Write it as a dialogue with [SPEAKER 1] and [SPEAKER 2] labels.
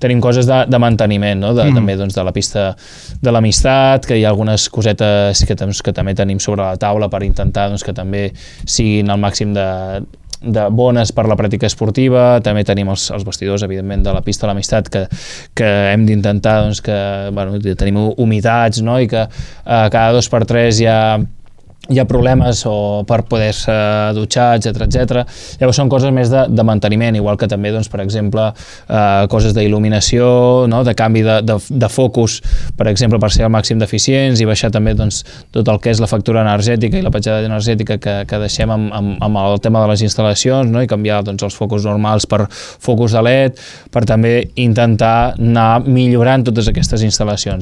[SPEAKER 1] tenim coses de manteniment, no? També doncs, de la pista de l'Amistat, que hi ha algunes cosetes que també tenim sobre la taula per intentar doncs, que també siguin al màxim de bones per la pràctica esportiva. També tenim els vestidors, evidentment, de la pista de l'Amistat, que hem d'intentar doncs, que tenim humitats, no? I que cada 2 per 3 hi ha problemes per poder-se dutxar, etc. Llavors són coses més de manteniment, igual que també, doncs, per exemple, coses d'il·luminació, no? De canvi de focus, per exemple, per ser al màxim d'eficients i baixar també doncs, tot el que és la factura energètica i la petjada energètica que deixem amb el tema de les instal·lacions, no? I canviar doncs, els focus normals per focus de LED, per també intentar anar millorant totes aquestes instal·lacions.